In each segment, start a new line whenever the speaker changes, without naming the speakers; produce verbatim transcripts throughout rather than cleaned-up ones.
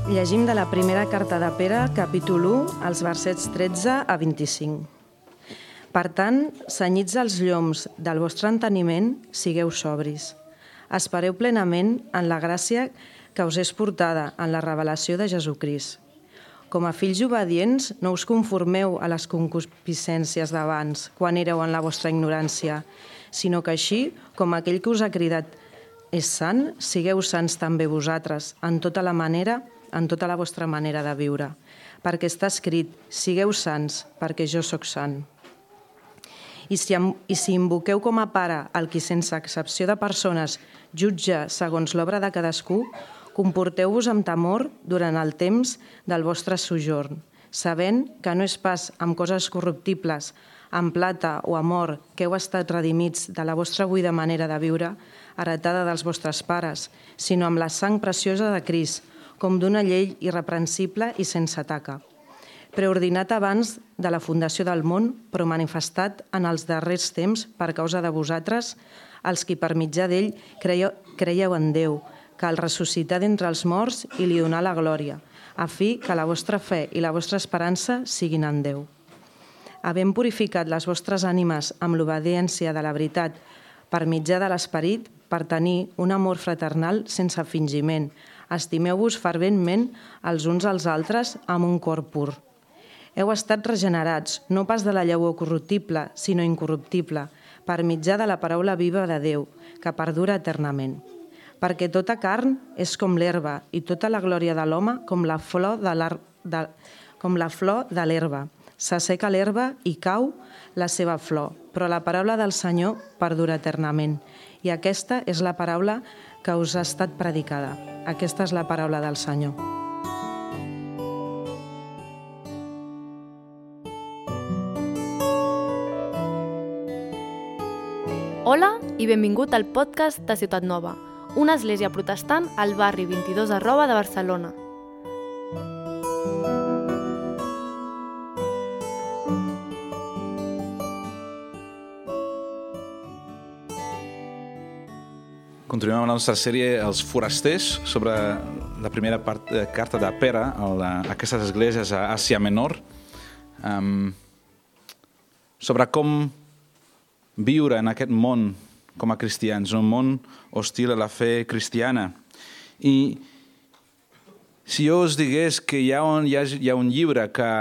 Llegim de la primera carta de Pere, capítol u, els versets tretze a vint-i-cinc. Per tant, cenyits els lloms del vostre enteniment, sigueu sobris. Espereu plenament en la gràcia que us és portada en la revelació de Jesucrist. Com a fills obedients, no us conformeu a les concupiscències d'abans, quan éreu en la vostra ignorància, sinó que així, com aquell que us ha cridat és sant, sigueu sants també vosaltres, en tota la manera, en tota la vostra manera de viure. Perquè està escrit, sigueu sants, perquè jo sóc sant. I si, I si invoqueu com a pare el qui sense excepció de persones jutja segons l'obra de cadascú, comporteu-vos amb temor durant el temps del vostre sojorn, sabent que no és pas amb coses corruptibles, amb plata o amb or, que heu estat redimits de la vostra buida manera de viure, heretada dels vostres pares, sinó amb la sang preciosa de Crist, com d'una llei irreprensible i sense taca, preordinat abans de la fundació del món, però manifestat en els darrers temps per causa de vosaltres, els qui per mitjà d'ell creieu, creieu en Déu, que el ressuscità d'entre els morts i li donà la glòria, a fi que la vostra fe i la vostra esperança siguin en Déu. Havent purificat les vostres ànimes amb l'obediència de la veritat per mitjà de l'esperit, per tenir un amor fraternal sense fingiment, estimeu-vos ferventment els uns als altres amb un cor pur. Heu estat regenerats, no pas de la llavor corruptible, sinó incorruptible, per mitjà de la paraula viva de Déu, que perdura eternament. Perquè tota carn és com l'herba i tota la glòria de l'home com la flor de de, com la flor de l'herba. S'asseca l'herba i cau la seva flor, però la paraula del Senyor perdura eternament. I aquesta és la paraula que us ha estat predicada. Aquesta és la paraula del Senyor.
Hola i benvingut al podcast de Ciutat Nova, una església protestant al barri vint-i-dos arroba de Barcelona.
Continuem amb la nostra sèrie Els forasters, sobre la primera part, eh, carta de Pere a aquestes esglésies a Àsia Menor, um, sobre com viure en aquest món com a cristians, un món hostil a la fe cristiana. I si jo us digués que hi ha un, hi ha, hi ha un llibre que,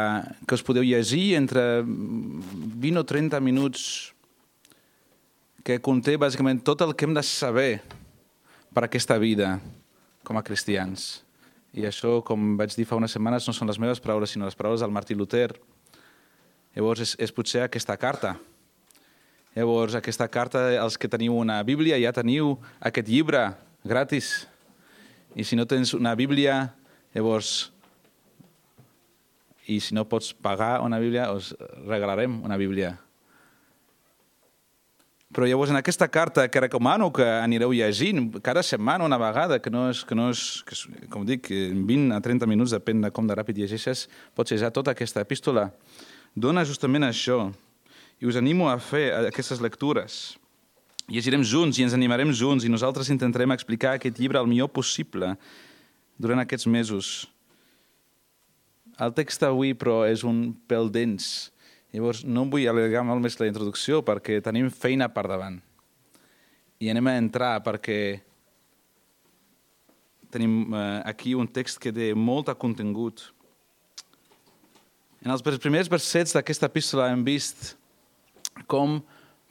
que us podeu llegir entre vint o trenta minuts, que conté bàsicament tot el que hem de saber per aquesta vida com a cristians. I això, com vaig dir fa unes setmanes, no són les meves paraules, sinó les paraules del Martí Luter. Llavors, és, és potser aquesta carta. Llavors, aquesta carta, els que teniu una Bíblia, ja teniu aquest llibre gratis. I si no tens una Bíblia, llavors, i si no pots pagar una Bíblia, us regalarem una Bíblia. Però llavors en aquesta carta que recomano que anireu llegint cada setmana una vegada, que no és, que no és que, com dic, en vint a trenta minuts, depèn de com de ràpid llegeixes, pots llegir tota aquesta epístola. Dona justament això. I us animo a fer aquestes lectures. Llegirem junts i ens animarem junts i nosaltres intentarem explicar aquest llibre el millor possible durant aquests mesos. El text avui, però, és un pèl dens. Llavors, no vull allargar molt més la introducció perquè tenim feina per davant. I anem a entrar perquè tenim eh, aquí un text que té molt contingut. En els primers versets d'aquesta epístola hem vist com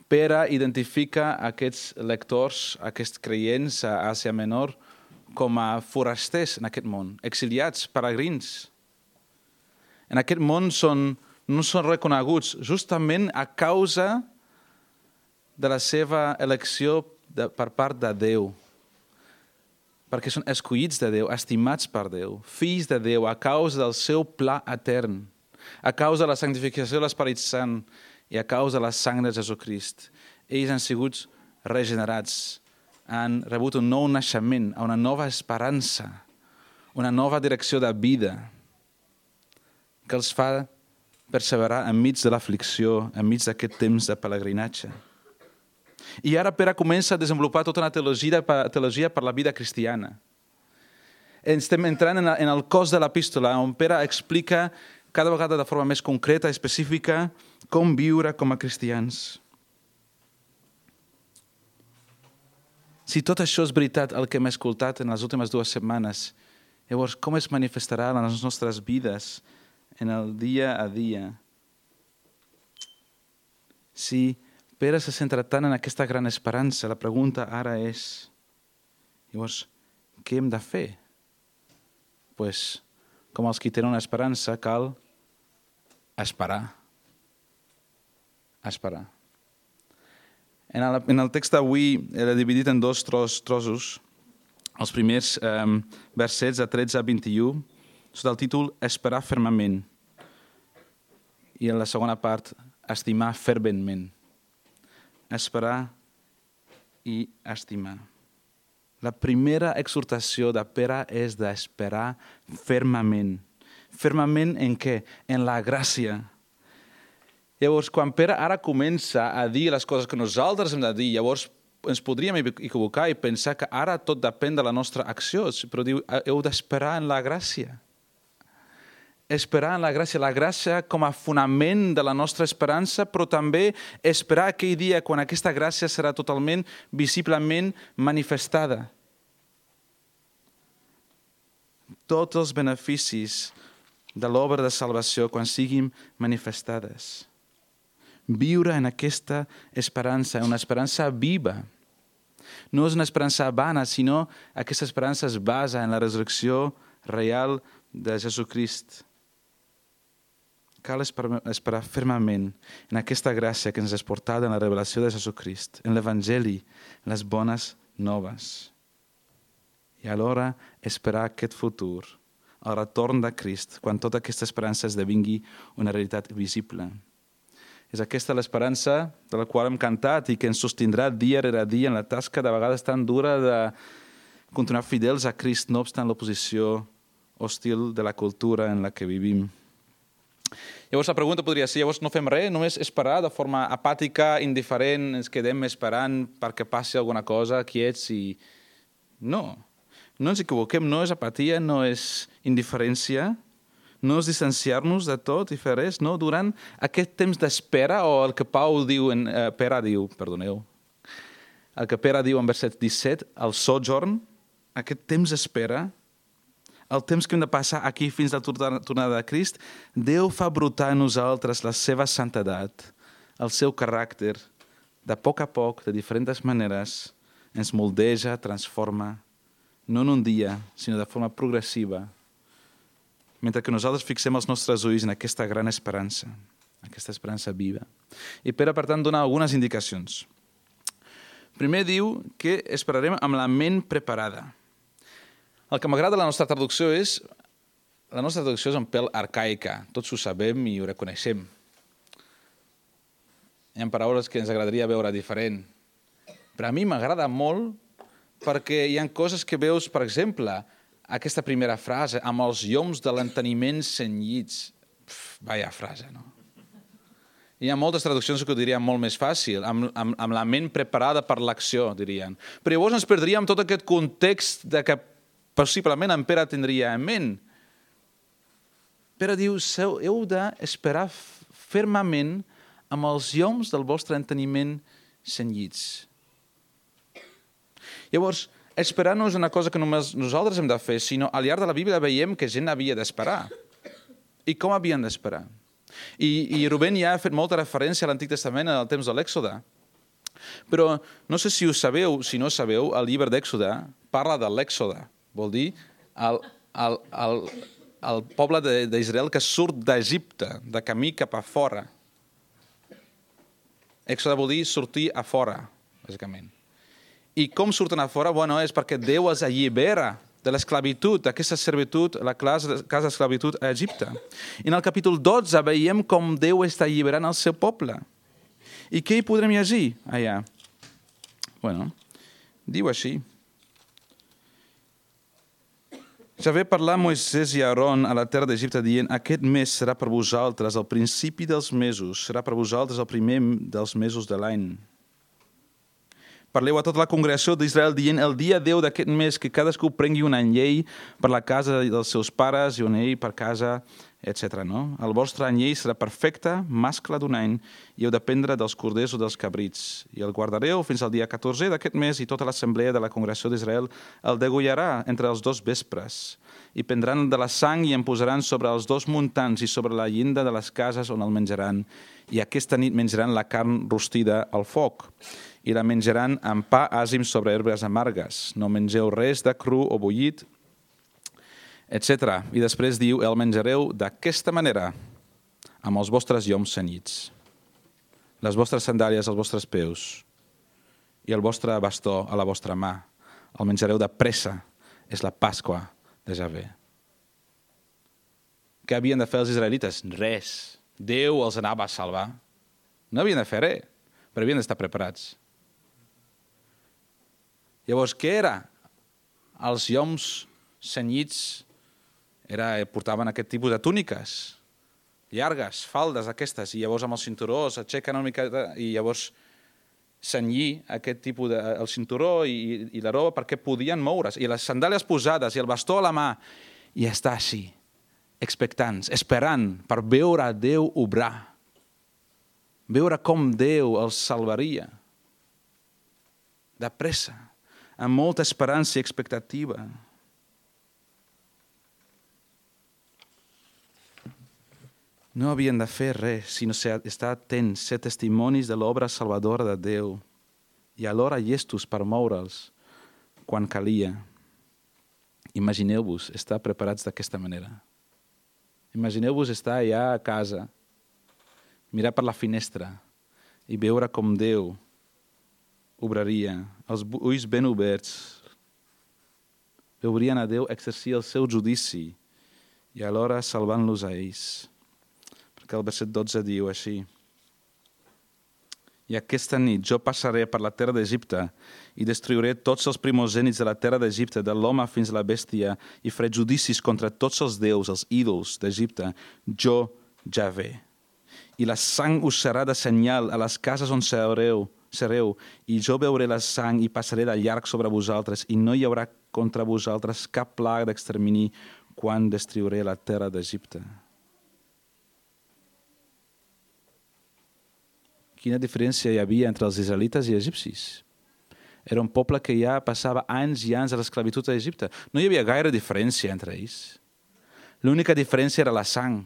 Pere identifica aquests lectors, aquests creients a Àsia Menor, com a forasters en aquest món, exiliats, peregrins. En aquest món són no són reconeguts justament a causa de la seva elecció de, per part de Déu. Perquè són escollits de Déu, estimats per Déu, fills de Déu, a causa del seu pla etern, a causa de la santificació de l'Esperit Sant i a causa de la sang de Jesucrist. Ells han sigut regenerats, han rebut un nou naixement, una nova esperança, una nova direcció de vida que els fa perseverar enmig de l'aflicció, enmig d'aquest temps de pelegrinatge. I ara Pere comença a desenvolupar tota una teologia, teologia per la vida cristiana. estem entrant en el cos de l'epístola, on Pere explica cada vegada de forma més concreta, específica, com viure com a cristians. Si tot això és veritat, el que hem escoltat en les últimes dues setmanes, llavors com es manifestarà en les nostres vides, en el dia a dia? Si Pere se centra tant en aquesta gran esperança, la pregunta ara és, llavors, què hem de fer? Pues, com els que tenen una esperança, cal esperar. Esperar. En el, en el text d'avui l'he dividit en dos tros, trossos. Els primers eh, versets de tretze a vint-i-u, sota el títol Esperar fermament. I en la segona part, estimar ferventment. Esperar i estimar. La primera exhortació de Pere és d'esperar fermament. Fermament en què? En la gràcia. Llavors, quan Pere ara comença a dir les coses que nosaltres hem de dir, llavors ens podríem equivocar i pensar que ara tot depèn de la nostra acció, però diu, heu d'esperar en la gràcia. Esperar en la gràcia, la gràcia com a fonament de la nostra esperança, però també esperar aquell dia quan aquesta gràcia serà totalment, visiblement manifestada. Tots els beneficis de l'obra de salvació quan siguin manifestades. Viure en aquesta esperança, una esperança viva. No és una esperança vana, sinó aquesta esperança es basa en la resurrecció real de Jesucrist. Cal esperar fermament en aquesta gràcia que ens és portada en la revelació de Jesucrist, en l'Evangeli, en les bones noves. I alhora esperar aquest futur, el retorn de Crist, quan tota aquesta esperança esdevingui una realitat visible. És aquesta l'esperança de la qual hem cantat i que ens sostindrà dia rere dia en la tasca de vegades tan dura de continuar fidels a Crist, no obstant l'oposició hostil de la cultura en la que vivim. Llavors la pregunta podria ser, llavors no fem res, només esperar de forma apàtica, indiferent, ens quedem esperant perquè passi alguna cosa, quiets i... No, no ens equivoquem, no és apatia, no és indiferència, no és distanciar-nos de tot i fer res, no, durant aquest temps d'espera, o el que Pau diu, en, eh, Pere diu, perdoneu, el que Pere diu en verset disset, el sojourn, aquest temps d'espera, el temps que hem de passar aquí fins a la tornada de Crist, Déu fa brotar en nosaltres la seva santedat, el seu caràcter, de poc a poc, de diferents maneres, ens moldeja, transforma, no en un dia, sinó de forma progressiva, mentre que nosaltres fixem els nostres ulls en aquesta gran esperança, aquesta esperança viva. I Pere, per tant, dona algunes indicacions. Primer diu que esperarem amb la ment preparada. El que m'agrada de la nostra traducció és... La nostra traducció és un pèl arcaica. Tots ho sabem i ho reconeixem. Hi ha paraules que ens agradaria veure diferent. Però a mi m'agrada molt perquè hi ha coses que veus, per exemple, aquesta primera frase, amb els lloms de l'enteniment cenyits. Pff, vaya frase, no? Hi ha moltes traduccions que ho dirien molt més fàcil, amb, amb, amb la ment preparada per l'acció, dirien. Però llavors ens perdríem tot aquest context de que possiblement en Pere tindria en ment. Pere diu, heu d'esperar fermament amb els lloms del vostre enteniment cenyits. Llavors, esperar no és una cosa que només nosaltres hem de fer, sinó al llarg de la Bíblia veiem que gent havia d'esperar. I com havien d'esperar? I, i Rubén ja ha fet molta referència a l'Antic Testament en el temps de l'Èxode. Però no sé si ho sabeu, si no sabeu, el llibre d'Èxode parla de l'Èxode. Vol dir el, el, el, el poble d'Israel que surt d'Egipte, de camí cap a fora. Èxode vol dir sortir a fora, bàsicament. I com surten a fora? Bueno, és perquè Déu els allibera de l'esclavitud, d'aquesta servitud, la casa d'esclavitud a Egipte. I en el capítol dotze veiem com Déu està alliberant el seu poble. I què hi podrem llegir allà? Bueno, diu així. Ja ve parlar Moisès i Aaron a la terra d'Egipte dient aquest mes serà per vosaltres el principi dels mesos, serà per vosaltres el primer dels mesos de l'any. Parleu a tota la congregació d'Israel dient el dia deu d'aquest mes que cadascú prengui un anyell per la casa dels seus pares i un anyell per casa, etcètera. No? El vostre anyell serà perfecte, mascle d'un any, i heu de prendre dels corders o dels cabrits. I el guardareu fins al dia catorzè d'aquest mes i tota l'assemblea de la congregació d'Israel el degollarà entre els dos vespres. I prendran de la sang i en posaran sobre els dos muntants i sobre la llinda de les cases on el menjaran. I aquesta nit menjaran la carn rostida al foc. I la menjaran amb pa àsim sobre herbes amargues. No mengeu res de cru o bullit, etcètera. I després diu, el menjareu d'aquesta manera, amb els vostres lloms cenyits, les vostres sandàlies als vostres peus i el vostre bastó a la vostra mà. El menjareu de pressa, és la Pasqua de Javé. Què havien de fer els israelites? Res. Déu els anava a salvar. No havien de fer res, però havien d'estar preparats. Llavors, què era? Els lloms cenyits era, portaven aquest tipus de túniques llargues, faldes aquestes, i llavors amb el cinturó s'aixequen una mica i llavors cenyir aquest tipus de, el cinturó i, i la roba perquè podien moure's. I les sandàlies posades i el bastó a la mà i estar així, expectants, esperant per veure Déu obrar, veure com Déu els salvaria. De pressa, amb molta esperança i expectativa. No havien de fer res, sinó estar atents, ser testimonis de l'obra salvadora de Déu i alhora llestos per moure'ls quan calia. Imagineu-vos estar preparats d'aquesta manera. Imagineu-vos estar allà a casa, mirar per la finestra i veure com Déu obraria, els ulls ben oberts, veurien a Déu exercir el seu judici i alhora salvant-los a ells. Perquè el verset dotze diu així: I aquesta nit jo passaré per la terra d'Egipte i destruiré tots els primogènits de la terra d'Egipte, de l'home fins a la bèstia, i faré judicis contra tots els déus, els ídols d'Egipte, jo Javé. I la sang us serà de senyal a les cases on sereu, sereu, i jo veuré la sang i passaré de llarg sobre vosaltres, i no hi haurà contra vosaltres cap plaga d'extermini quan destruiré la terra d'Egipte. Quina diferència hi havia entre els israelites i egipcis? Era un poble que ja passava anys i anys a l'esclavitud a Egipte. No hi havia gaire diferència entre ells. L'única diferència era la sang.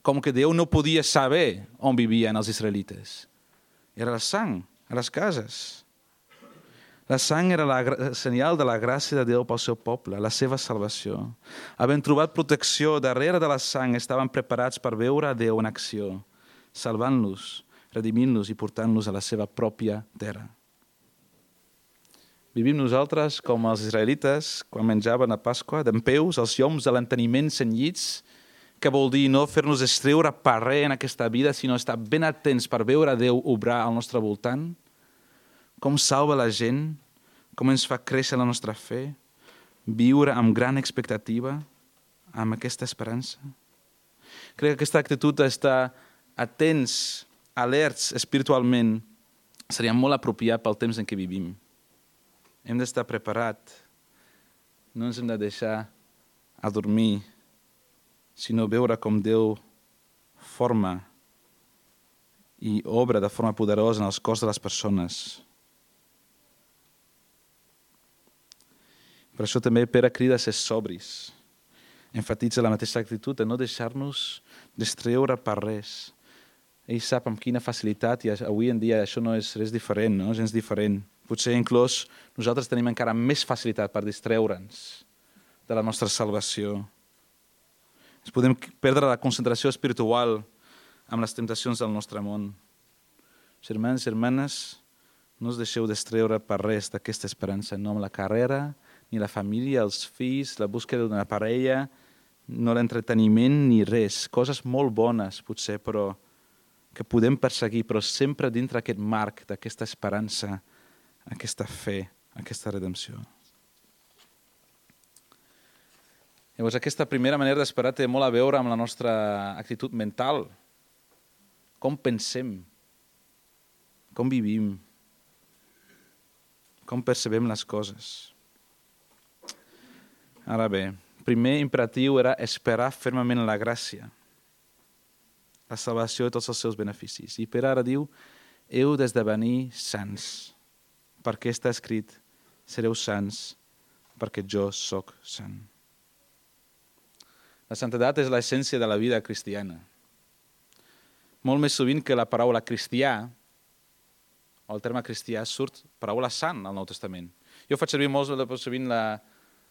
Com que Déu no podia saber on vivien els israelites. Era la sang a les cases. La sang era la senyal de la gràcia de Déu pel seu poble, la seva salvació. Havent trobat protecció darrere de la sang, estaven preparats per veure a Déu en acció, salvant-los, redimint-los i portant-los a la seva pròpia terra. Vivim nosaltres com els israelites quan menjaven a Pasqua, dempeus, els lloms de l'enteniment cenyits, que vol dir no fer-nos estreure per res en aquesta vida, sinó estar ben atents per veure Déu obrar al nostre voltant, com salva la gent, com ens fa créixer la nostra fe, viure amb gran expectativa, amb aquesta esperança. Crec que aquesta actitud d'estar atents, alerts espiritualment, seria molt apropiat pel temps en què vivim. Hem d'estar preparats, no ens hem de deixar adormir, sinó veure com Déu forma i obra de forma poderosa en els cors de les persones. Per això també Pere crida a ser sobris. Enfatitza la mateixa actitud de no deixar-nos distreure per res. Ell sap amb quina facilitat, i avui en dia això no és res diferent, no? És gens diferent. Potser inclús nosaltres tenim encara més facilitat per distreure'ns de la nostra salvació. Ens podem perdre la concentració espiritual amb les temptacions del nostre món. Germans i germanes, no us deixeu distreure per res d'aquesta esperança, no amb la carrera, ni la família, els fills, la búsqueda d'una parella, no l'entreteniment ni res. Coses molt bones, potser, però que podem perseguir, però sempre dintre aquest marc d'aquesta esperança, aquesta fe, aquesta redempció. Llavors, aquesta primera manera d'esperar té molt a veure amb la nostra actitud mental. Com pensem, com vivim, com percebem les coses. Ara bé, primer imperatiu era esperar fermament la gràcia, la salvació i tots els seus beneficis. I per ara diu, heu d'esdevenir sants, perquè està escrit, sereu sants, perquè jo sóc sant. La santedat és l'essència de la vida cristiana. Molt més sovint que la paraula cristià, o el terme cristià, surt paraula sant al Nou Testament. Jo faig servir molt sovint la,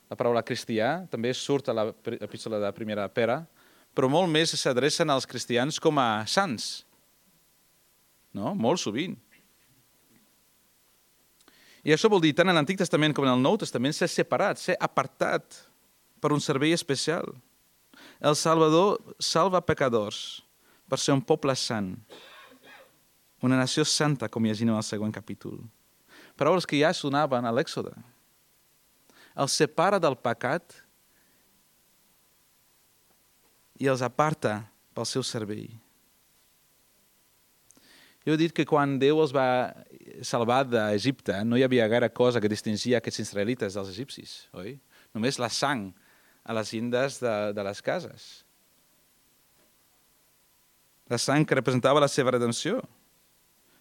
la paraula cristià, també surt a l'epístola de primera Pere, però molt més s'adrecen als cristians com a sants. No? Molt sovint. I això vol dir, tant en l'Antic Testament com en el Nou Testament, ser separat, ser apartat per un servei especial. El Salvador salva pecadors per ser un poble sant, una nació santa, com llegim al següent capítol. Paraules que ja sonaven a l'Èxode. El separa del pecat i els aparta pel seu servei. Jo he dit que quan Déu els va salvar d'Egipte no hi havia gaire cosa que distingia aquests israelites dels egipcis, oi? Només la sang a les llindes de, de les cases. La sang que representava la seva redempció,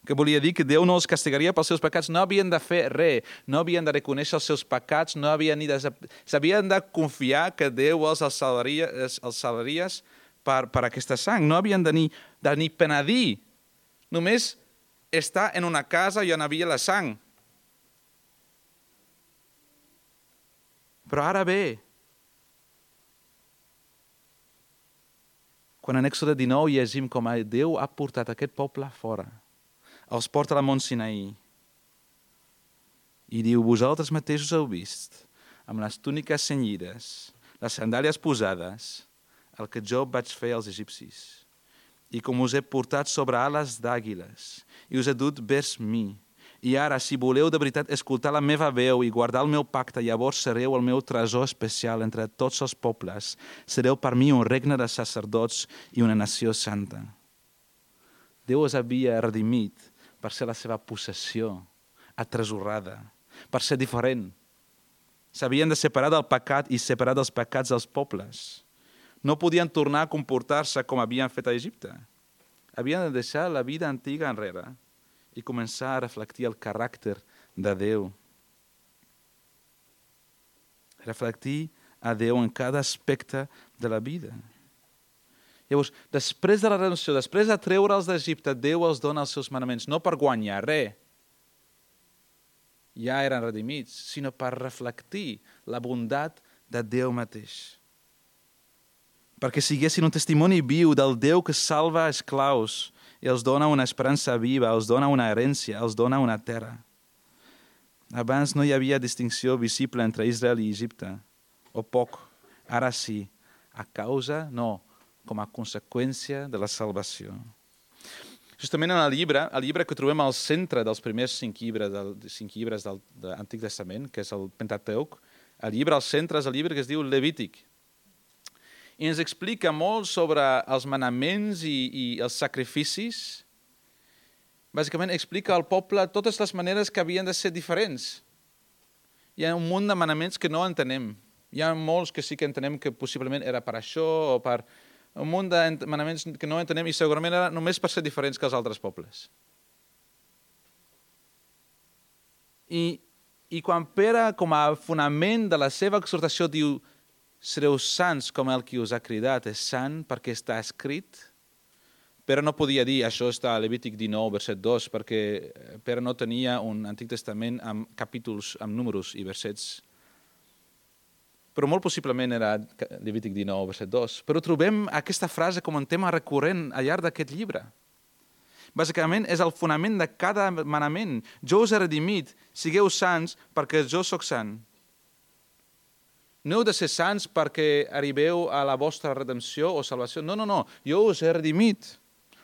que volia dir que Déu no els castigaria pels seus pecats, no havien de fer res, no havien de reconèixer els seus pecats, no havien ni de... s'havien de confiar que Déu els salvaria, els salvaria per, per aquesta sang, no havien de ni, de ni penedir. Només estar en una casa i on havia la sang. Però ara bé, quan en Èxode dinou llegim com Déu ha portat aquest poble fora, els porta a la Mont Sinaí i diu, vosaltres mateixos heu vist, amb les túniques cenyides, les sandàlies posades, el que jo vaig fer als egipcis. I com us he portat sobre ales d'àguiles, i us he dut vers mi. I ara, si voleu de veritat escoltar la meva veu i guardar el meu pacte, llavors sereu el meu tresor especial entre tots els pobles. Sereu per mi un regne de sacerdots i una nació santa. Déu us havia redimit per ser la seva possessió, atresorada, per ser diferent. S'havien de separar del pecat i separar dels pecats dels pobles. No podien tornar a comportar-se com havien fet a Egipte. Havien de deixar la vida antiga enrere i començar a reflectir el caràcter de Déu. Reflectir a Déu en cada aspecte de la vida. Llavors, després de la redempció, després de treure'ls d'Egipte, Déu els dona els seus manaments, no per guanyar res, ja eren redimits, sinó per reflectir la bondat de Déu mateix. Perquè siguessin un testimoni viu del Déu que salva esclaus i els dona una esperança viva, els dona una herència, els dona una terra. Abans no hi havia distinció visible entre Israel i Egipte, o poc. Ara sí, a causa, no, com a conseqüència de la salvació. Justament en el llibre, el llibre que trobem al centre dels primers cinc llibres del, cinc llibres del de l'Antic Testament, que és el Pentateuc, el llibre al centre és el llibre que es diu Levític. I ens explica molt sobre els manaments i, i els sacrificis. Bàsicament explica al poble totes les maneres que havien de ser diferents. Hi ha un munt de manaments que no entenem. Hi ha molts que sí que entenem que possiblement era per això o per un munt de manaments que no entenem i segurament era només per ser diferents que els altres pobles. I, i quan Pere, com a fonament de la seva exhortació, diu sereu sants com el qui us ha cridat és sant perquè està escrit. Pere no podia dir, això està a Levític dinou, verset dos, perquè Pere no tenia un Antic Testament amb capítols, amb números i versets. Però molt possiblement era Levític dinou, verset dos. Però trobem aquesta frase com un tema recurrent al llarg d'aquest llibre. Bàsicament és el fonament de cada manament. Jo us he redimit, sigueu sants perquè jo sóc sant. No heu de ser sants perquè arribeu a la vostra redempció o salvació. No, no, no. Jo us he redimit.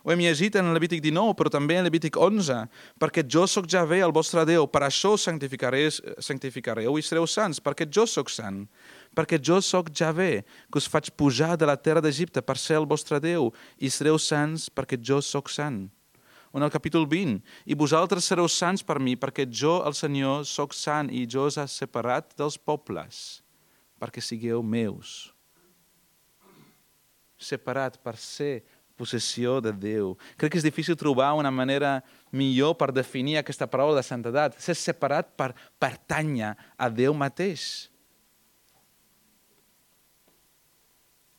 Ho hem llegit en Levític dinou, però també en Levític onze. Perquè jo sóc Javé, el vostre Déu. Per això santificareu i sereu sants. Perquè jo sóc sant. Perquè jo sóc Javé, que us faig pujar de la terra d'Egipte per ser el vostre Déu. I sereu sants perquè jo sóc sant. O en el capítol vint, i vosaltres sereu sants per mi, perquè jo, el Senyor, sóc sant i jo us he separat dels pobles, perquè sigueu meus. Separat per ser possessió de Déu. Crec que és difícil trobar una manera millor per definir aquesta paraula de santedat. Ser separat per pertànyer a Déu mateix.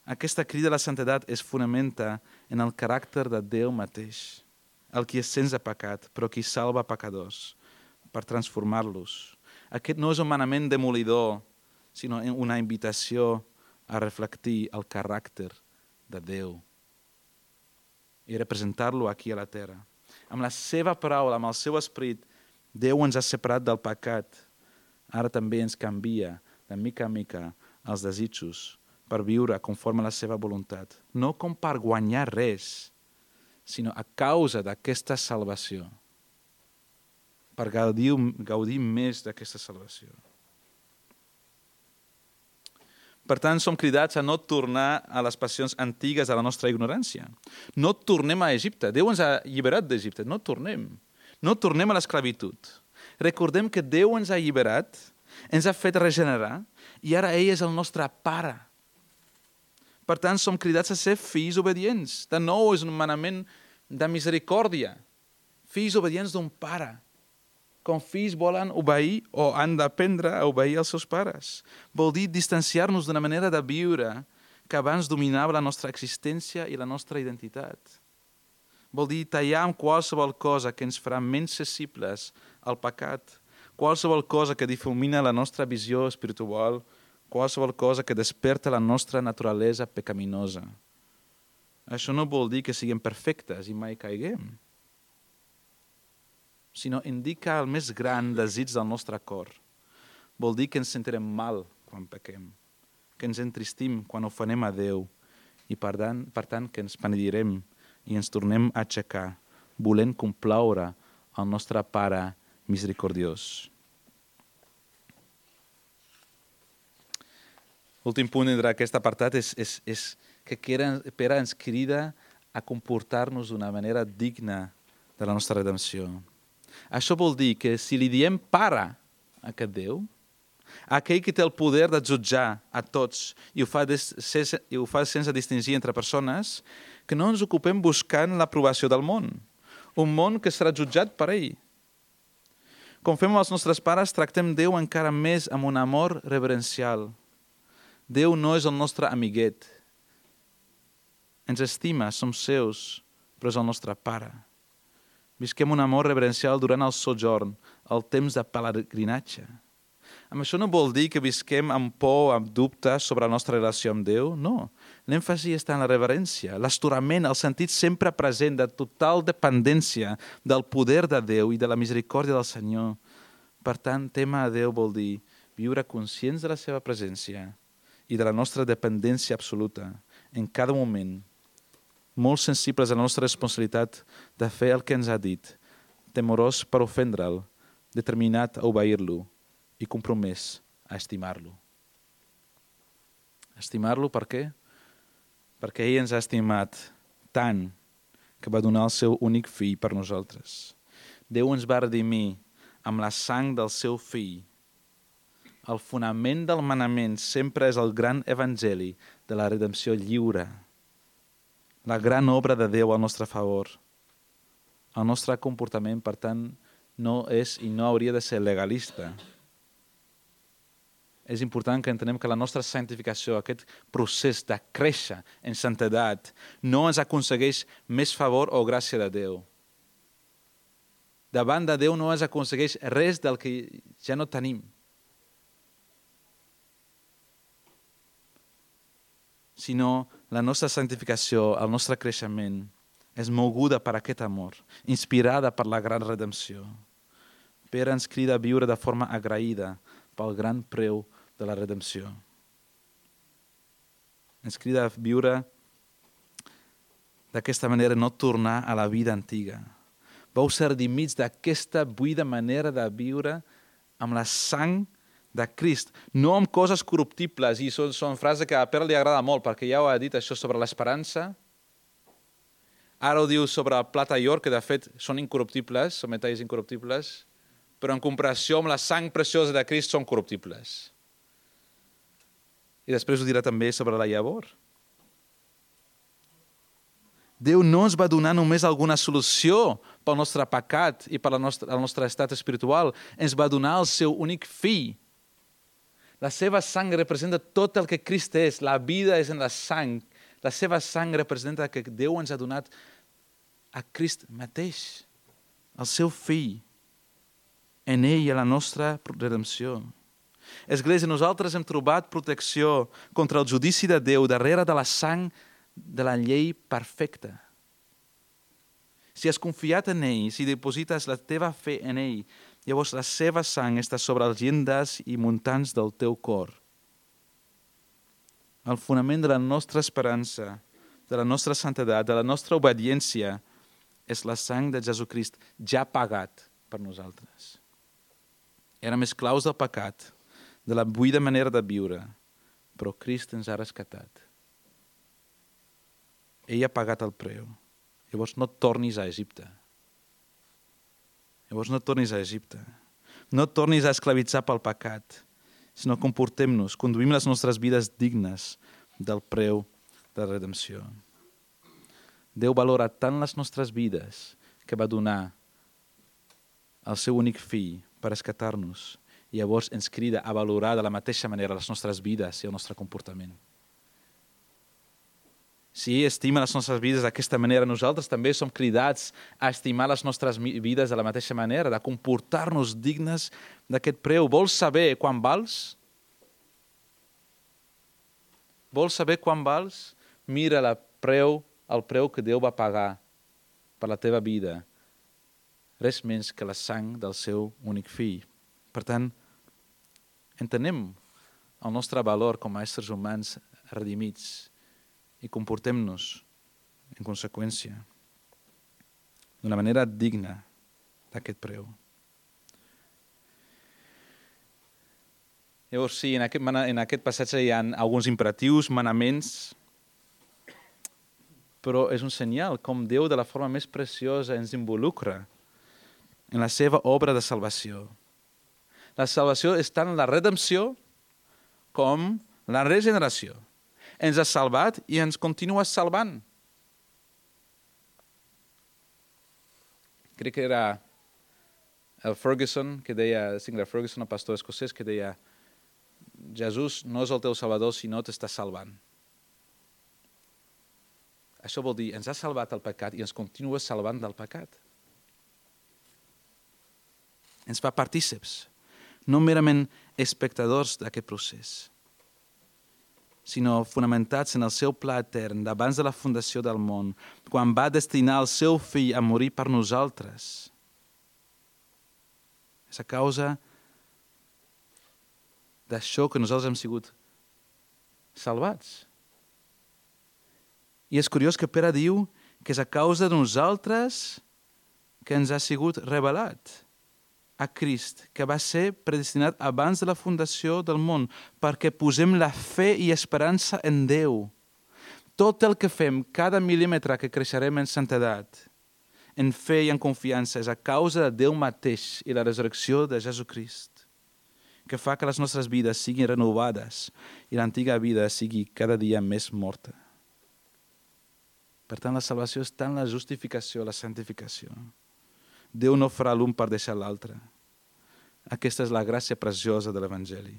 Aquesta crida a la santedat es fonamenta en el caràcter de Déu mateix, el qui és sense pecat, però qui salva pecadors per transformar-los. Aquest no és un manament demolidor, sinó una invitació a reflectir el caràcter de Déu i representar-lo aquí a la terra. Amb la seva paraula, amb el seu esperit, Déu ens ha separat del pecat. Ara també ens canvia, de mica en mica, els desitjos per viure conforme a la seva voluntat. No com per guanyar res, sinó a causa d'aquesta salvació. Per gaudir, gaudir més d'aquesta salvació. Per tant, som cridats a no tornar a les passions antigues de la nostra ignorància. No tornem a Egipte. Déu ens ha alliberat d'Egipte. No tornem. No tornem a l'esclavitud. Recordem que Déu ens ha alliberat, ens ha fet regenerar, i ara ell és el nostre pare. Per tant, som cridats a ser fills obedients. De nou, és un manament de misericòrdia. Fills obedients d'un pare. Com fills volen obeir o han d'aprendre a obeir els seus pares. Vol dir distanciar-nos d'una manera de viure que abans dominava la nostra existència i la nostra identitat. Vol dir tallar amb qualsevol cosa que ens farà menys sensibles al pecat, qualsevol cosa que difumina la nostra visió espiritual, qualsevol cosa que desperta la nostra naturalesa pecaminosa. Això no vol dir que siguem perfectes i mai caiguem, sinó indica el més gran desig del nostre cor. Vol dir que ens sentirem mal quan pequem, que ens entristim quan ofenem a Déu i per tant, per tant que ens penedirem i ens tornem a aixecar, volent complaure el nostre Pare misericordiós. L'últim punt d'aquest apartat és, és, és que Pere ens crida a comportar-nos d'una manera digna de la nostra redempció. Això vol dir que si li diem pare a aquest Déu, aquell que té el poder de jutjar a tots i ho fa, des, sense, i ho fa sense distingir entre persones, que no ens ocupem buscant l'aprovació del món, un món que serà jutjat per ell. Com fem amb els nostres pares, tractem Déu encara més amb un amor reverencial. Déu no és el nostre amiguet. Ens estima, som seus, però és el nostre pare. Visquem un amor reverencial durant el sojorn, el temps de pelegrinatge. Amb això no vol dir que visquem amb por, amb dubte sobre la nostra relació amb Déu, no. L'èmfasi està en la reverència, l'estorament, el sentit sempre present de total dependència del poder de Déu i de la misericòrdia del Senyor. Per tant, témer a Déu vol dir viure conscients de la seva presència i de la nostra dependència absoluta en cada moment, molt sensibles a la nostra responsabilitat de fer el que ens ha dit, temorós per ofendre'l, determinat a obeir-lo i compromès a estimar-lo. Estimar-lo per què? Perquè ell ens ha estimat tant que va donar el seu únic fill per nosaltres. Déu ens va redimir amb la sang del seu fill. El fonament del manament sempre és el gran evangeli de la redempció lliure, la gran obra de Déu al nostre favor. El nostre comportament, per tant, no és i no hauria de ser legalista. És important que entenem que la nostra santificació, aquest procés de créixer en santedat, no ens aconsegueix més favor o gràcia de Déu. Davant de Déu no ens aconsegueix res del que ja no tenim. Sinó la nostra santificació, el nostre creixement, és moguda per aquest amor, inspirada per la gran redempció. Pere ens crida a viure de forma agraïda pel gran preu de la redempció. Ens crida a viure d'aquesta manera, no tornar a la vida antiga. Vau ser redimits d'aquesta buida manera de viure amb la sang de Crist, no amb coses corruptibles, i són, són frases que a Pere li agrada molt, perquè ja ho ha dit això sobre l'esperança. Ara ho diu sobre el plata i or, que de fet són incorruptibles, són metalls incorruptibles, però en comparació amb la sang preciosa de Crist són corruptibles. I després ho dirà també sobre la llavor. Déu no ens va donar només alguna solució pel nostre pecat i pel nostre, el nostre estat espiritual, ens va donar el seu únic fill. La seva sang representa tot el que Crist és, la vida és en la sang. La seva sang representa que Déu ens ha donat a Crist mateix, el seu fill, en ell i a la nostra redempció. Església, nosaltres hem trobat protecció contra el judici de Déu darrere de la sang de la llei perfecta. Si has confiat en ell, si diposites la teva fe en ell, llavors la seva sang està sobre els llindes i muntants del teu cor. El fonament de la nostra esperança, de la nostra santedat, de la nostra obediència, és la sang de Jesucrist ja pagat per nosaltres. Érem esclaus del pecat, de la buida manera de viure, però Crist ens ha rescatat. Ell ha pagat el preu. Llavors no tornis a Egipte. Llavors no tornis a Egipte. No tornis a esclavitzar pel pecat, sinó comportem-nos, conduïm les nostres vides dignes del preu de la redempció. Déu valora tant les nostres vides que va donar el seu únic fill per rescatar-nos i llavors ens crida a valorar de la mateixa manera les nostres vides i el nostre comportament. Si ell estima les nostres vides d'aquesta manera, nosaltres també som cridats a estimar les nostres vides de la mateixa manera, de comportar-nos dignes d'aquest preu. Vols saber quan vals? Vols saber quan vals? Mira la preu, el preu que Déu va pagar per la teva vida. Res menys que la sang del seu únic fill. Per tant, entenem el nostre valor com a éssers humans redimits i comportem-nos en conseqüència d'una manera digna d'aquest preu. Llavors, sí, en aquest, en aquest passatge hi ha alguns imperatius, manaments, però és un senyal com Déu de la forma més preciosa ens involucra en la seva obra de salvació. La salvació és tant la redempció com la regeneració. Ens ha salvat i ens continua salvant. Crec que era el Ferguson, que deia, Sinclair Ferguson, el pastor escocès, que deia Jesús no és el teu salvador, sinó t'està salvant. Això vol dir, ens ha salvat el pecat i ens continua salvant del pecat. Ens fa partíceps, no merament espectadors d'aquest procés, sinó fonamentats en el seu pla etern d'abans de la fundació del món, quan va destinar el seu fill a morir per nosaltres. És a causa d'això que nosaltres hem sigut salvats. I és curiós que Pere diu que és a causa de nosaltres que ens ha sigut revelat a Crist, que va ser predestinat abans de la fundació del món, perquè posem la fe i esperança en Déu. Tot el que fem, cada mil·límetre que creixerem en santedat, en fe i en confiança, és a causa de Déu mateix i la resurrecció de Jesucrist, que fa que les nostres vides siguin renovades i l'antiga vida sigui cada dia més morta. Per tant, la salvació és tant la justificació, la santificació. Déu no farà l'un per deixar l'altre. Aquesta és la gràcia preciosa de l'Evangeli.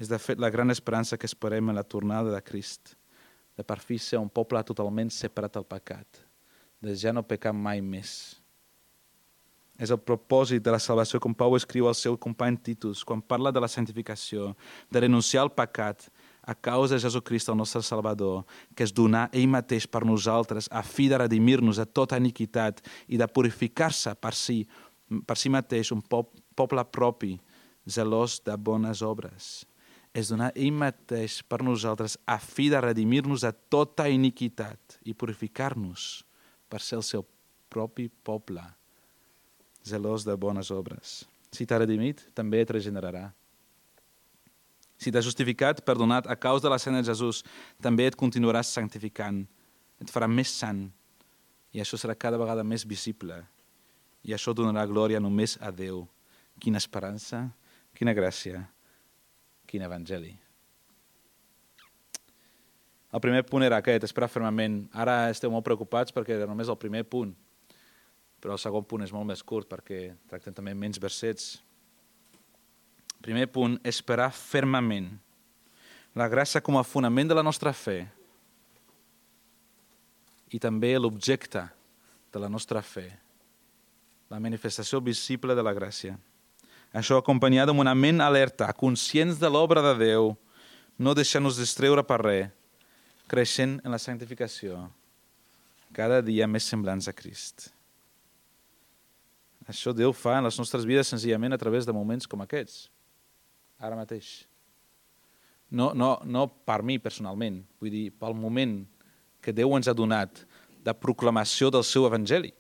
És de fet la gran esperança que esperem en la tornada de Crist, de per fi ser un poble totalment separat del pecat, de ja no pecar mai més. És el propòsit de la salvació, com Pau escriu al seu company Titus, quan parla de la santificació, de renunciar al pecat, a causa de Jesucrist, el nostre Salvador, que es donà ell mateix per nosaltres a fi de redimir-nos de tota iniquitat i de purificar-se per si, per si mateix un poble propi, zelós de bones obres. Es donà ell mateix per nosaltres a fi de redimir-nos de tota iniquitat i purificar-nos per ser el seu propi poble, zelós de bones obres. Si t'ha redimit, també et regenerarà. Si t'has justificat, perdonat a causa de la sang de Jesús, també et continuaràs santificant. Et farà més sant I això serà cada vegada més visible. I això donarà glòria només a Déu. Quina esperança, quina gràcia, quin evangeli. El primer punt era aquest, esperar fermament. Ara esteu molt preocupats perquè era només el primer punt, però el segon punt és molt més curt perquè tracten també menys versets. Primer punt, esperar fermament. La gràcia com a fonament de la nostra fe i també l'objecte de la nostra fe, la manifestació visible de la gràcia. Això acompanyat amb una ment alerta, conscients de l'obra de Déu, no deixant-nos distreure per res, creixent en la santificació, cada dia més semblants a Crist. Això Déu fa en les nostres vides senzillament a través de moments com aquests, ara mateix. No, no, no per mi personalment, vull dir, pel moment que Déu ens ha donat de proclamació del seu evangeli.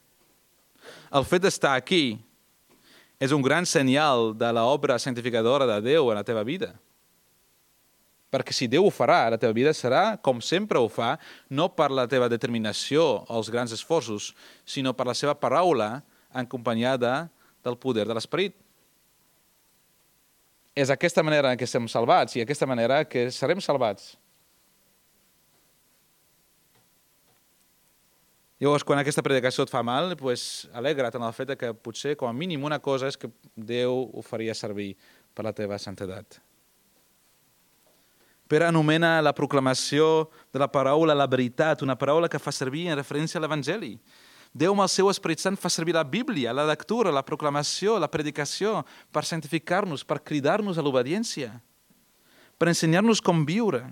El fet d'estar aquí és un gran senyal de l'obra santificadora de Déu en la teva vida. Perquè si Déu ho farà, la teva vida serà com sempre ho fa, no per la teva determinació o els grans esforços, sinó per la seva paraula acompanyada del poder de l'Esperit. És aquesta manera en què estem salvats i aquesta manera que serem salvats. Llavors, quan aquesta predicació et fa mal, pues, alegra't en el fet que potser, com a mínim, una cosa és que Déu ho faria servir per la teva santedat. Pere anomena la proclamació de la paraula la veritat, una paraula que fa servir en referència a l'Evangeli. Déu amb el seu Esperit Sant fa servir la Bíblia, la lectura, la proclamació, la predicació, per santificar-nos, per cridar-nos a l'obediència, per ensenyar-nos com viure.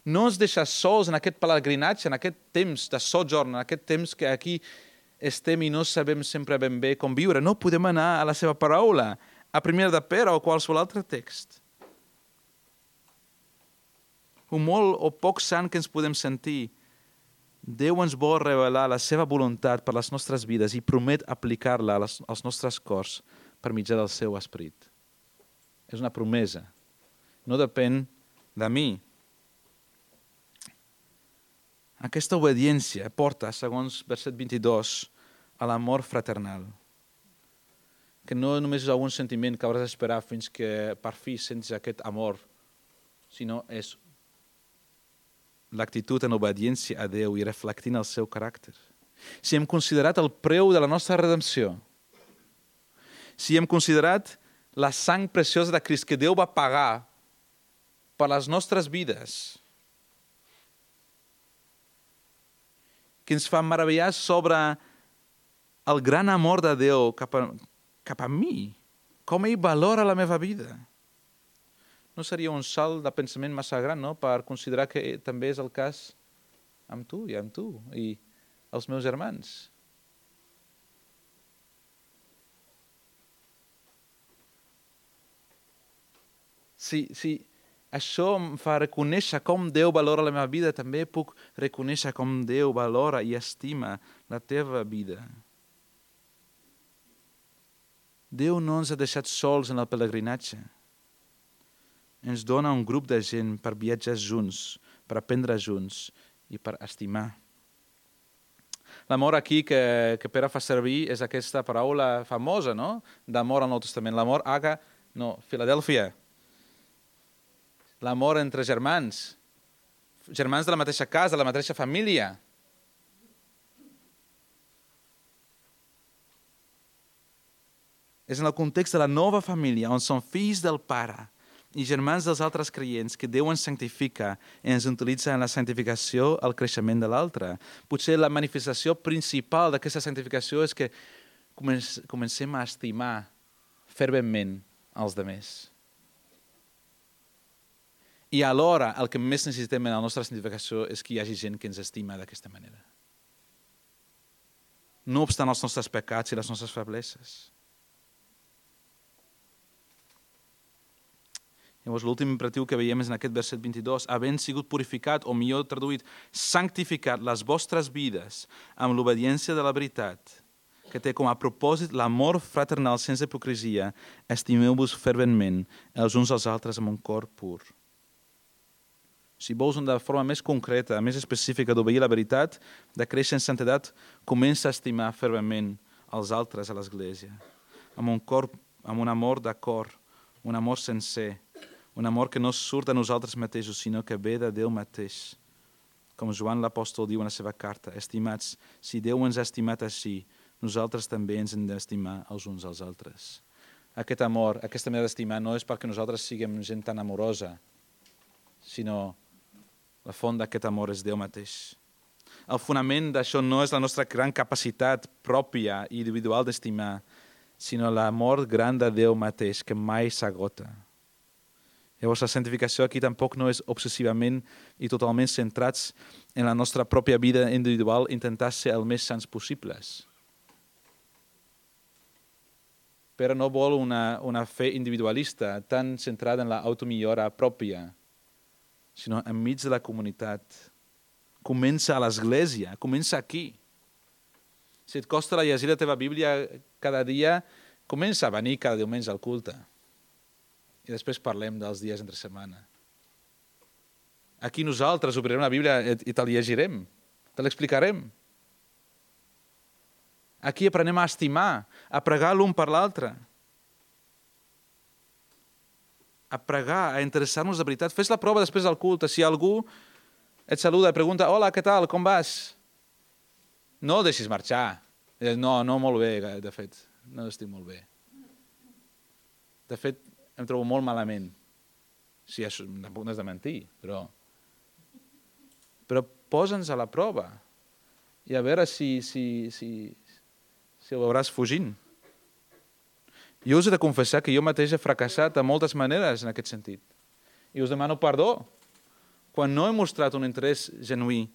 No ens deixa sols en aquest pelegrinatge, en aquest temps de sojorn, en aquest temps que aquí estem i no sabem sempre ben bé com viure. No podem anar a la seva paraula, a primera de Pere o qualsevol altre text. Un molt o poc sant que ens podem sentir, Déu ens vol revelar la seva voluntat per les nostres vides i promet aplicar-la als nostres cors per mitjà del seu esperit. És una promesa. No depèn de mi. Aquesta obediència porta, segons verset vint-i-dos, a l'amor fraternal. Que no només és algun sentiment que hauràs d'esperar fins que per fi sentis aquest amor, sinó és l'actitud en obediència a Déu i reflectint el seu caràcter. Si hem considerat el preu de la nostra redempció, si hem considerat la sang preciosa de Crist que Déu va pagar per les nostres vides, que ens fa meravellar sobre el gran amor de Déu cap a, cap a mi, com ell valora la meva vida. No seria un salt de pensament massa gran, no?, per considerar que també és el cas amb tu i amb tu i els meus germans. Si, si això em fa reconèixer com Déu valora la meva vida, també puc reconèixer com Déu valora i estima la teva vida. Déu no ens ha deixat sols en el pelegrinatge. Ens dona un grup de gent per viatjar junts, per aprendre junts i per estimar. L'amor aquí que, que Pere fa servir és aquesta paraula famosa, no?, d'amor al Nou Testament. L'amor aga, no, Filadèlfia. L'amor entre germans, germans de la mateixa casa, de la mateixa família. És en el context de la nova família, on són fills del Pare i germans dels altres creients que Déu ens santifica i ens utilitza en la santificació el creixement de l'altre. Potser la manifestació principal d'aquesta santificació és que comencem a estimar ferventment els altres. I alhora el que més necessitem en la nostra santificació és que hi hagi gent que ens estima d'aquesta manera. No obstant els nostres pecats i les nostres febleses. Llavors, l'últim imperatiu que veiem és en aquest verset vint-i-dos, havent sigut purificat, o millor traduït, santificat les vostres vides amb l'obediència de la veritat, que té com a propòsit l'amor fraternal sense hipocresia, estimeu-vos ferventment els uns als altres amb un cor pur. si vols una forma més concreta, més específica d'obeir la veritat, de créixer en santedat, comença a estimar fervament els altres a l'Església, amb un cor, amb un amor de cor, un amor sencer, un amor que no surt de nosaltres mateixos, sinó que ve de Déu mateix. Com Joan l'apòstol diu en la seva carta, estimats, si Déu ens ha estimat així, nosaltres també ens hem d'estimar els uns als altres. Aquest amor, aquesta manera d'estimar no és perquè nosaltres siguem gent tan amorosa, sinó la font d'aquest amor és Déu mateix. El fonament d'això no és la nostra gran capacitat pròpia i individual d'estimar, sinó l'amor gran de Déu mateix, que mai s'agota. Llavors, la santificació aquí tampoc no és obsessivament i totalment centrats en la nostra pròpia vida individual, intentar ser el més sants possibles. Però no vol una, una fe individualista tan centrada en l'automillora pròpia, sinó enmig de la comunitat. Comença a l'Església, comença aquí. Si et costa la llegir la teva Bíblia cada dia, comença a venir cada diumenge al culte. I després parlem dels dies entre setmana. Aquí nosaltres obrirem la Bíblia i te la llegirem, te l'explicarem. Aquí aprenem a estimar, a pregar l'un per l'altre. A pregar, a interessar-nos de veritat. Fes la prova després del culte. Si algú et saluda i pregunta, hola, què tal, com vas? No el deixis marxar. No, no, molt bé, de fet. No estic molt bé. De fet, em trobo molt malament. Sí, això tampoc no és de mentir, però... Però posa'ns a la prova i a veure si, si, si, si ho veuràs fugint. Jo us he de confessar que jo mateix he fracassat de moltes maneres en aquest sentit. I us demano perdó quan no he mostrat un interès genuí.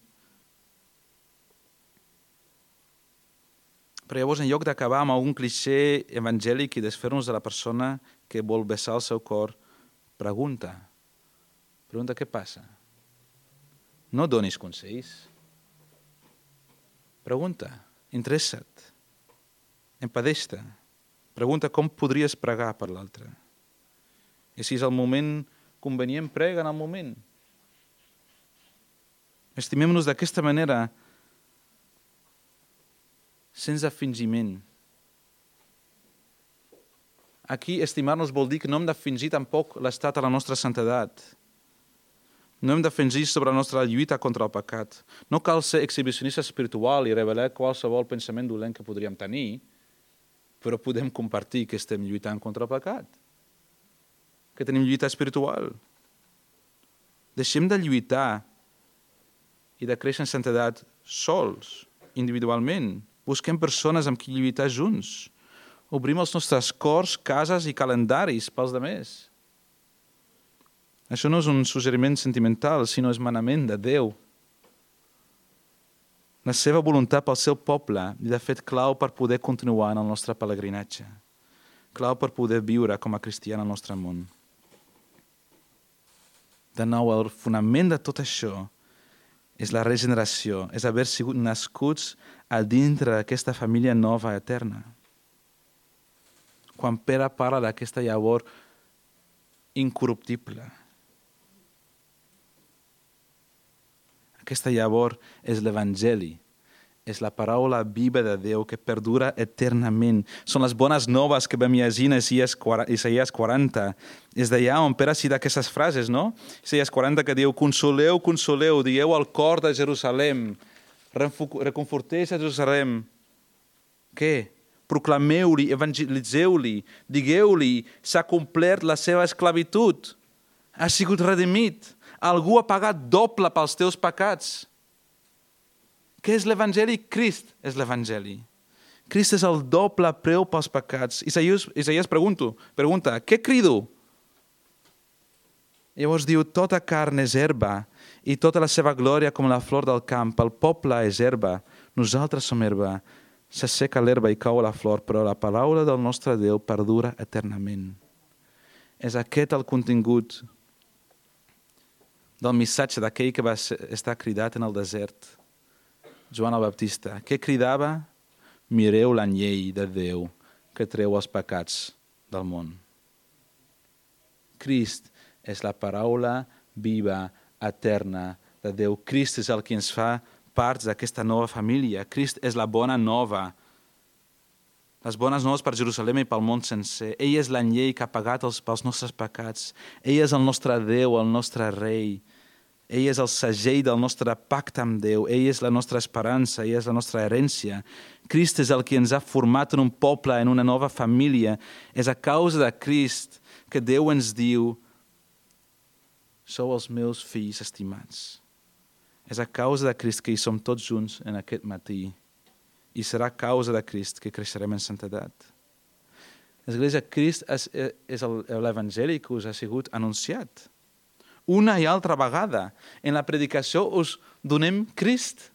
Però llavors, en lloc d'acabar amb algun clixé evangèlic i desfer-nos de la persona que vol vessar el seu cor, pregunta. Pregunta què passa. No donis consells. Pregunta, interessa't, empadeix-te. Pregunta com podries pregar per l'altre. I si és el moment convenient, prega en el moment. Estimem-nos d'aquesta manera, sense fingiment. Aquí, estimar-nos vol dir que no hem de fingir tampoc l'estat a la nostra santedat. No hem de fingir sobre la nostra lluita contra el pecat. No cal ser exhibicionista espiritual i revelar qualsevol pensament dolent que podríem tenir, però podem compartir que estem lluitant contra el pecat, que tenim lluita espiritual. Deixem de lluitar i de créixer en santedat sols, individualment. Busquem persones amb qui lluitar junts. Obrim els nostres cors, cases i calendaris pels demés. Això no és un suggeriment sentimental, sinó és manament de Déu. La seva voluntat pel seu poble i, de fet, clau per poder continuar en el nostre pelegrinatge. Clau per poder viure com a cristià en el nostre món. De nou, el fonament de tot això és la regeneració, és haver sigut nascuts a dintre d'aquesta família nova eterna. Quan Pere parla d'aquesta llavor incorruptible, aquesta llavor és l'Evangeli, és la paraula viva de Déu que perdura eternament. Són les bones noves que vam llegir en Isaïes quaranta. És d'allà on Pere cita aquestes frases, no? Isaïes quaranta que diu, consoleu, consoleu, dieu al cor de Jerusalem, reconforteu a Jerusalem. Què? Proclameu-li, evangelitzeu-li, digueu-li, s'ha complert la seva esclavitud, ha sigut redimit. Algú ha pagat doble pels teus pecats. Què és l'Evangeli? Crist és l'Evangeli. Crist és el doble preu pels pecats. Isaías, Isaías pregunto, pregunta, què crido? Llavors diu, tota carn és herba i tota la seva glòria com la flor del camp. El poble és herba, nosaltres som herba. S'asseca l'herba i cau la flor, però la paraula del nostre Déu perdura eternament. És aquest el contingut del missatge d'aquell que va estar cridat en el desert, Joan el Baptista. Què cridava? Mireu l'anyell de Déu que treu els pecats del món. Crist és la paraula viva eterna de Déu. Crist és el que ens fa parts d'aquesta nova família. Crist és la bona nova. Les bones noves per Jerusalem i pel món sencer. Ell és l'anyell que ha pagat els, pels nostres pecats. Ell és el nostre Déu, el nostre rei. Ell és el segell del nostre pacte amb Déu. Ell és la nostra esperança, ell és la nostra herència. Crist és el que ens ha format en un poble, en una nova família. És a causa de Crist que Déu ens diu: sou els meus fills estimats. És a causa de Crist que hi som tots junts en aquest matí. I serà a causa de Crist que creixerem en santedat. L'Església, Crist és, és l'Evangeli que us ha sigut anunciat. Una i altra vegada. En la predicació us donem Crist.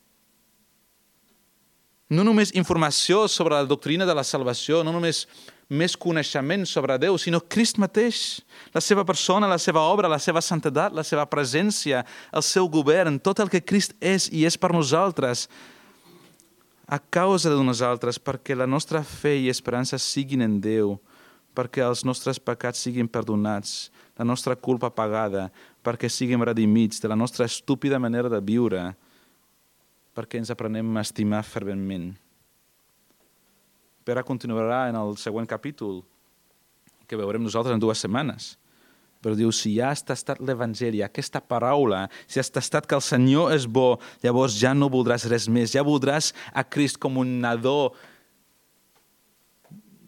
No només informació sobre la doctrina de la salvació, no només més coneixement sobre Déu, sinó Crist mateix, la seva persona, la seva obra, la seva santedat, la seva presència, el seu govern, tot el que Crist és i és per nosaltres, a causa de nosaltres, perquè la nostra fe i esperança siguin en Déu, perquè els nostres pecats siguin perdonats, la nostra culpa pagada, perquè siguem redimits de la nostra estúpida manera de viure, perquè ens aprenem a estimar ferventment. Pere continuarà en el següent capítol, que veurem nosaltres en dues setmanes, però diu, si ja has tastat l'Evangeli, aquesta paraula, si has tastat que el Senyor és bo, llavors ja no voldràs res més, ja voldràs a Crist com un nadó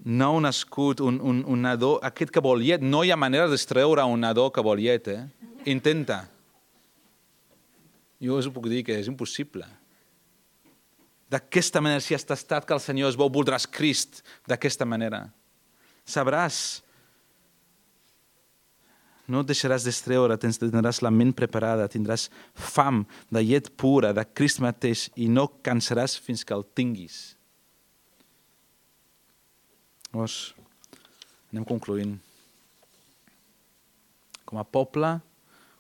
nou nascut, un, un, un nadó, aquest que vol llet. No hi ha manera d'extreure un nadó que vol llet, eh? Intenta. Jo us ho puc dir que és impossible. D'aquesta manera, si has tastat que el Senyor és bo, voldràs Crist d'aquesta manera. Sabràs. No et deixaràs d'extreure, tindràs la ment preparada, tindràs fam de llet pura, de Crist mateix, i no cansaràs fins que el tinguis. Llavors, anem concloent. Com a poble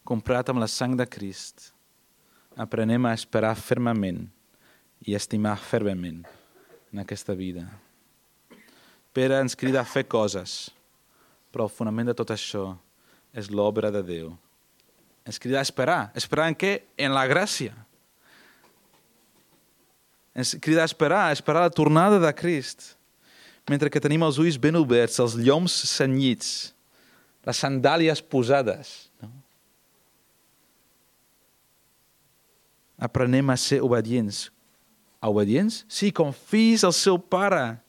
comprat amb la sang de Crist, aprenem a esperar fermament i a estimar fervament en aquesta vida. Pere ens crida a fer coses, però el fonament de tot això és l'obra de Déu. Ens crida a esperar. Esperar en què? En la gràcia. Ens crida a esperar, a esperar la tornada de Crist. Mentre que tenim els ulls ben oberts, els lloms cenyits, les sandàlies posades. No? Aprenem a ser obedients. A obedients? Sí, com fills al seu pare.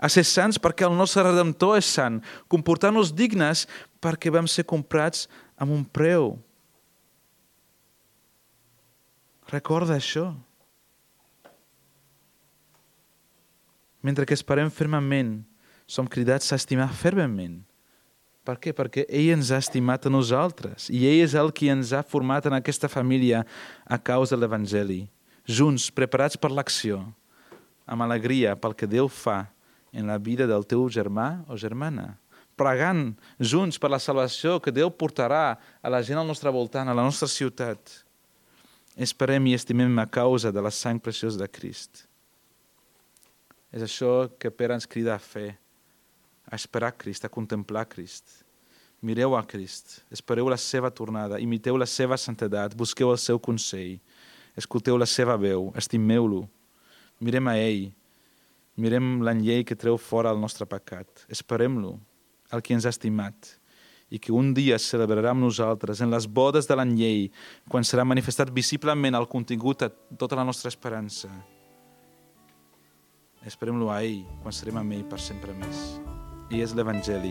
A ser sants perquè el nostre Redemptor és sant. Comportar-nos dignes perquè vam ser comprats amb un preu. Recorda això. Mentre que esperem fermament, som cridats a estimar fervament. Per què? Perquè ell ens ha estimat a nosaltres i ell és el qui ens ha format en aquesta família a causa de l'Evangeli. Junts, preparats per l'acció, amb alegria pel que Déu fa en la vida del teu germà o germana. Pregant junts per la salvació que Déu portarà a la gent al nostre voltant, a la nostra ciutat. Esperem i estimem a causa de la sang preciosa de Crist. És això que Pere ens crida a fer, a esperar Crist, a contemplar Crist. Mireu a Crist, espereu la seva tornada, imiteu la seva santedat, busqueu el seu consell, escolteu la seva veu, estimeu-lo, mirem a ell, mirem l'anyell que treu fora el nostre pecat, esperem-lo, el que ens ha estimat, i que un dia celebrarà amb nosaltres en les bodes de l'anyell, quan serà manifestat visiblement el contingut de tota la nostra esperança. Esperem-lo a ell, quan serem amb ell per sempre més. Ell és l'Evangeli,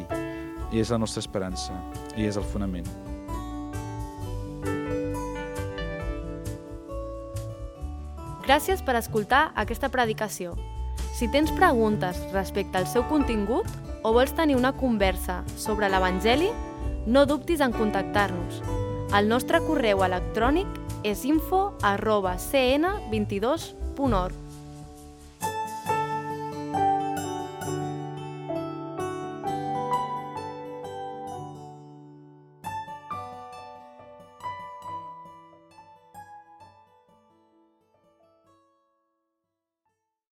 ell és la nostra esperança, ell és el fonament.
Gràcies per escoltar aquesta predicació. Si tens preguntes respecte al seu contingut o vols tenir una conversa sobre l'Evangeli, no dubtis en contactar-nos. El nostre correu electrònic és info arroba c n vint dos punt org.